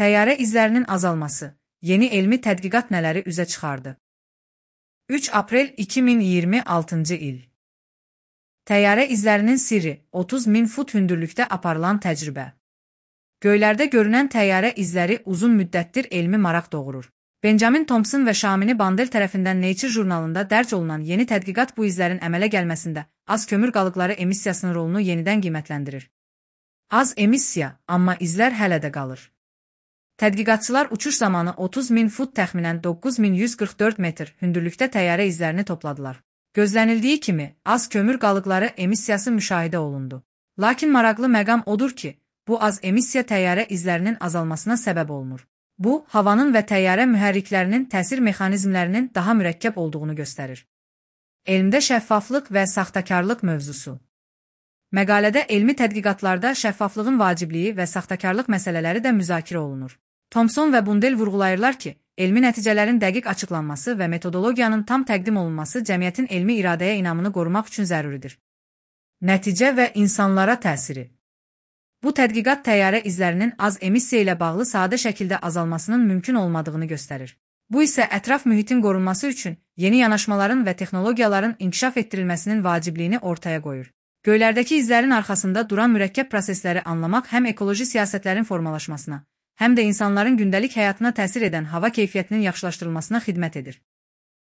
Təyyarə izlərinin azalması, yeni elmi tədqiqat nələri üzə çıxardı? 3 aprel 2026-cı il. Təyyarə izlərinin sirri, 30.000 fut hündürlükdə aparılan təcrübə. Göylərdə görünən təyyarə izləri uzun müddətdir elmi maraq doğurur. Benjamin Thompson və Şamini Bandel tərəfindən Nature jurnalında dərc olunan yeni tədqiqat bu izlərin əmələ gəlməsində az kömür qalıqları emissiyasının rolunu yenidən qiymətləndirir. Az emissiya, amma izlər hələ də qalır. Tədqiqatçılar uçuş zamanı 30.000 fut təxminən 9144 metr hündürlükdə təyyarə izlərini topladılar. Gözlənildiyi kimi, az kömür qalıqları emissiyası müşahidə olundu. Lakin maraqlı məqam odur ki, bu az emissiya təyyarə izlərinin azalmasına səbəb olmur. Bu, havanın və təyyarə mühərriklərinin təsir mexanizmlərinin daha mürəkkəb olduğunu göstərir. Elmdə şəffaflıq və saxtakarlıq mövzusu. Məqalədə elmi tədqiqatlarda şəffaflığın vacibliyi və saxtakarlıq məsələləri də müzakirə olunur. Thompson və Bundel vurğulayırlar ki, elmi nəticələrin dəqiq açıqlanması və metodologiyanın tam təqdim olunması cəmiyyətin elmi iradəyə inamını qorumaq üçün zəruridir. Nəticə və insanlara təsiri. Bu tədqiqat təyyarə izlərinin az emissiya ilə bağlı sadə şəkildə azalmasının mümkün olmadığını göstərir. Bu isə ətraf mühitin qorunması üçün yeni yanaşmaların və texnologiyaların inkişaf etdirilməsinin vacibliyini ortaya qoyur. Göylərdəki izlərin arxasında duran mürəkkəb prosesləri anlamaq həm ekoloji siyasətlərin formalaşmasına, həm də insanların gündəlik həyatına təsir edən hava keyfiyyətinin yaxşılaşdırılmasına xidmət edir.